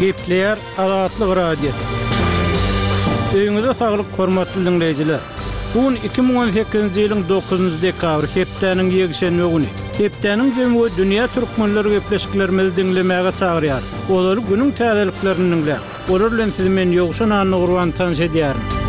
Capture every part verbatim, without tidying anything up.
Gepleýär Azatlyk Radiosy. Öýüňize saglyk, hormatly diňleýjiler! Bu gün iki müň on sekizinji ýylyň dokuzynjy dekabry, hepdäniň ýekşenbe güni. Hepdäniň jemi we dünýä türkmenleri gepleşiklerimizi diňlemäge çagyrýar. Olary günüň täzeliklerini diňläň. Olar bilen sizi men Ýowşan Annagurban tanyş edýärin.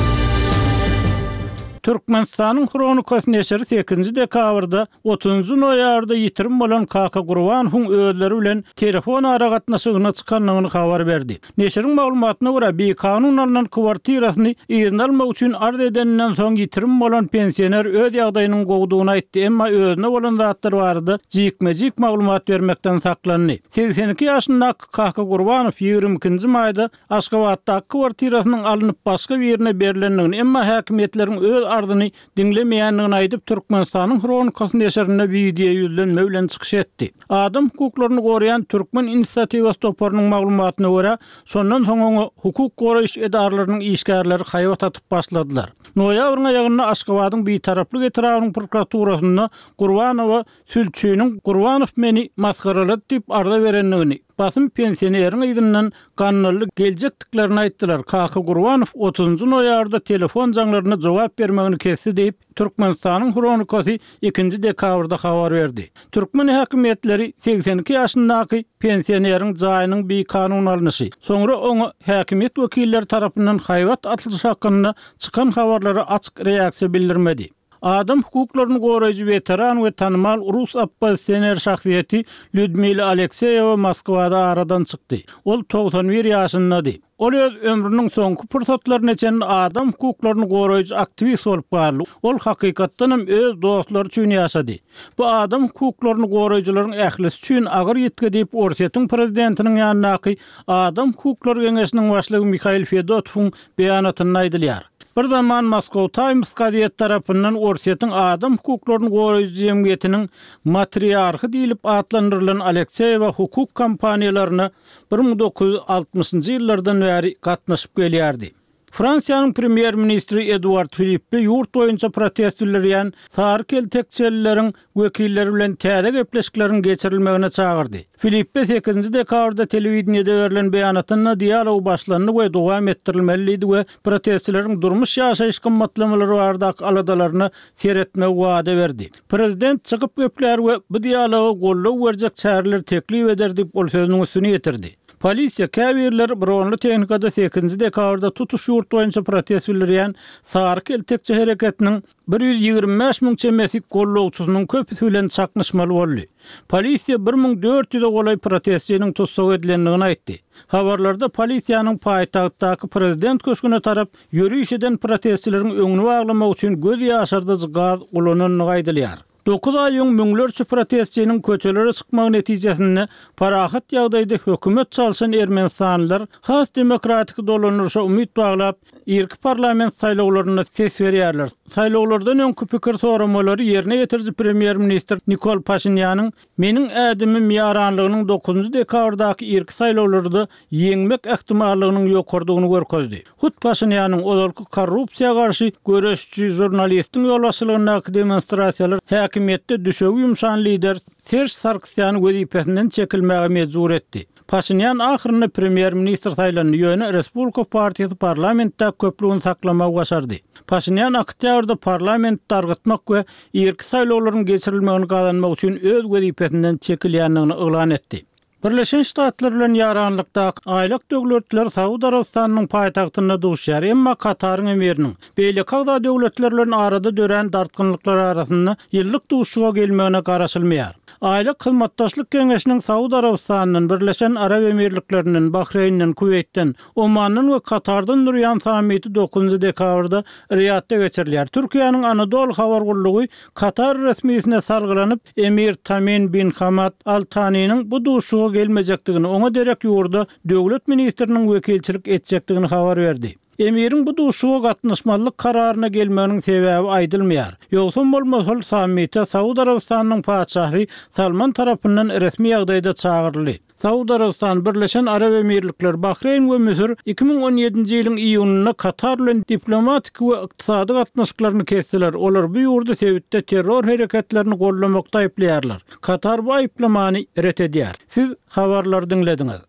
Türkmenistanyň Hronikasy neşiri sekizinji dekabrda otuzynjy noýabrda ýitirim bolan Kaka Gurbanowyň özleri bilen telefon aragatnaşygyna çykandygyny habar berdi. Neşiriň maglumatyna görä, bikanun alnan kwartirasyny yzyna almak üçin arz edeninden soň ýitirim bolan pensioner öz ýagdaýynyň gowudygyny aýtdy, emma özüne bolan zatlar barada jikme-jik maglumat bermekden saklandy. Segsen iki ýaşyndaky Kaka Gurbanow ýigrimi ikinji maýda Aşgabatdaky kwartirasynyň alnyp başga birine berlendigini, emma häkimiýetleriň öz arzyny diňlemeýändigini aýdyp, Türkmenistanyň Hronikasy neşirinde wideo ýüzlenme bilen çykyş etdi. Adam hukuklaryny goraýan Türkmen inisiatiwasy toparynyň maglumatyna görä, şondan soň oňa hukuk goraýyş edaralarynyň işgärleri haýbat atyp başladylar. Noýabryň aýagynda Aşgabadyň Bitaraplyk etrabynyň prokuraturasynda Gurbanowa sülçüniň Gurbanow meni masgaralady diýip arza berendigini, basym pensioneriň yzyndan gandally geljekdiklerini aýtdylar. Kaka Gurbanow otuzynjy noýabrda telefon jaňlaryna jogap bermegini kesdi diýip, Türkmenistanyň Hronikasy ikinji dekabrda habar berdi. Türkmen häkimiýetleri segsen iki ýaşyndaky pensioneriň jaýynyň bikanun alnyşy, soňra oňa häkimiýet wekilleri tarapyndan haýbat atylyşy hakynda çykan habarlara açyk reaksiýa bildirmedi. Adam hukuklaryny goraýjy weteran we tanymal rus oppozisioner şahsyýeti Lýudmila Alekseýewa Moskwada aradan çykdy. Ol togsan bir ýaşyndady. Ol öz ömrüniň soňky pursatlaryna çenli adam hukuklaryny goraýjy aktiwist bolup galdy. Ol hakykatdan hem öz dostlary üçin ýaşady. Bu adam hukuklaryny goraýjylaryň ählisi üçin agyr ýitgi diýip, Orsýetiň prezidentiniň ýanyndaky Adam hukuklary geňeşiniň başlygy Mihail Fedotowyň beýanatynda aýdylýar. Bir zaman Moscow Times gazeti tarapyndan Orsýetiň adam hukuklaryny goraýjy jemgyýetiniň matriarhy diýlip atlandyrylan Alekseýewa hukuk kampaniýalaryna bir müň dokuz ýüz altmyşynjy ýyllardan bäri gatnaşyp gelýärdi. Fransiýanyň premýer-ministri Eduard Filippe ýurt boýunça protest bildirýän sary keltekçelileriň wekilleri bilen täze gepleşikleriň geçirilmegine çagyrdy. Filippe sekizinji dekabrda telewideniýede berlen beýanatynda dialog başlandy we dowam etdirilmeli diýdi we protestçileriň durmuş-ýaşaýyş gymmatlamalary baradaky aladalaryna seretmegi wada berdi. Prezident çykyp geplär we bu dialoga goldaw berjek çäreleri teklip eder diýip, ol sözüniň üstüni ýetirdi. Polisiýa käbirleri bronly tehnikada sekizinji dekabrda tutuş ýurt boýunça protest bildirýän sary keltekçe hereketiniň bir ýüz ýigrimi bäş müň çemesi gollagçysynyň köpüsi bilen çaknyşmaly boldy. Polisiýa bir müň dört ýüze golaý protestçiniň tussag edilendigini aýtdy. Habarlarda polisiýanyň paýtagtdaky prezident köşgüne tarap ýöriş eden protestçileriň öňüni baglamak üçin göz ýaşardyjy gaz ulanandygy aýdylýar. Dokuz aý öň müňlerçe protestçiniň köçelere çykmagy netijesinde parahat ýagdaýda hökümet çalşan ermenistanlylar has demokratik dolandyryşa umyt baglap, irki parlament saýlawlarynda ses berýärler. Saýlawlardan öňki pikir soramalary ýerine ýetiriji premýer-ministr Nikol Paşinýanyň Meniň ädimim ýaranlygynyň dokuzynjy dekabrdaky irki saýlawlarda ýeňmek ähtimallygynyň ýokarydygyny görkezdi. Hut Paşinýanyň ozalky korrupsiýa garşy göreşçi žurnalistiň ýolbaşçylygyndaky demonstrasiýalar häkimiýetde düşegi ýumşan lider Serž Sarkisýany wezipesinden çekilmäge mejbur etdi. Paşinýan ahyrynda premýer-ministr saýlandy, ýöne Respublika partiýasy parlamentdäki köplügini saklamagy başardy. Paşinýan oktýabrda parlamenti dargytmak we irki saýlawlaryň geçirilmegini gazanmak üçin öz wezipesinden çekilýändigini yglan etdi. Birleşen Ştatlar bilen ýaranlykdaky aýlak döwletler Saud Arabystanynyň paýtagtynda duşýar, emma Kataryň emiriniň beýleki agza döwletler bilen arada dörän dartgynlyklar arasynda ýyllyk duşuşyga gelmegine garaşylmaýar. Aýlak Hyzmatdaşlyk Geňeşiniň Saud Arabystanyndan, Birleşen Arap Emirliklerinden, Bahreýnden, Kuweýtden, Omandan we Katardan durýan sammiti dokuzynjy dekabrda Riýadda geçirilýär. Türkiýäniň Anadolu habar gullugy Katar resmisine salgylanyp, emir Tamim bin Hamad Al Taniniň bu duşuşyga gelmejekdigini, oňa derek ýurda döwlet ministriniň wekilçilik etjekdigini habar berdi. Emiriň bu duşuşyga gatnaşmazlyk kararyna gelmeginiň sebäbi aýdylmaýar. Ýogsam bolmasa ol sammite Saud Arabystanynyň patyşasy Salman tarapyndan resmi ýagdaýda çagyryldy. Saud Arabystany, Birleşen Arap Emirlikleri, Bahreýn we Müsür iki müň on ýedinji ýylyň iýunynda Katar bilen diplomatiki we ykdysady gatnaşyklaryny kesdiler, olar bu ýurdy sebitde terror hereketlerini goldamakda aýyplaýarlar. Katar bu aýyplamany ret edýär. Siz habarlary diňlediňiz.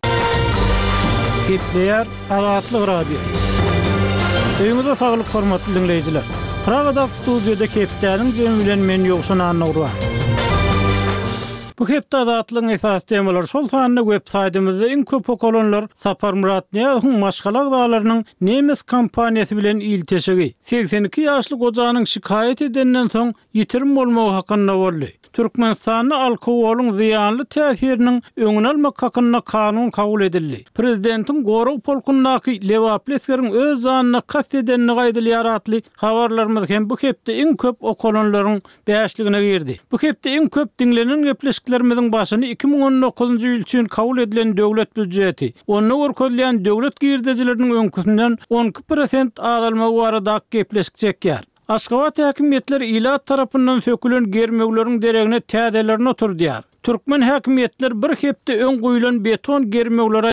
Gepleýär Azatlyk Radiosy. Öýüňize saglyk hormatly diňleýjiler. Pragadaky studiýada hepdäniň jemi bilen men Ýowşan Annagurban. Bu hepde Azatlygyň esasy temalary şol sanda web saýtymyzda iň köp okalanlar Saparmyrat Nyýazowyň maşgala agzalarynyň nemes kompaniýasy bilen ilteşigi, segsen iki ýaşly gojanyň şikaýat edenden soň ýitirim bolmagy hakynda boldy. Türkmenistanda alkogolyň zyýanly täsiriniň öňüni almak hakynda kanun kabul edildi. Prezidentiň gorag polkundaky lebaply esgeriň öz janyna kast edenligi aýdylýar atly habarlarymyz hem bu hepde iň köp okalanlaryň bäşligine girdi. Bu hepde iň köp diňlenen gepleşiklerimiziň başyny iki müň on dokuzynjy ýyl üçin kabul edilen döwlet býujeti, onda görkezilýän döwlet girdejileriniň öňküsinden on iki prosent azalmagy baradaky gepleşik çekýär. Aşgabat häkimiýetleri ilat tarapyndan sökülen germewleriň deregine täzelerini oturdýar. Türkmen häkimiýetleri bir hepde öň guýulan beton germewlere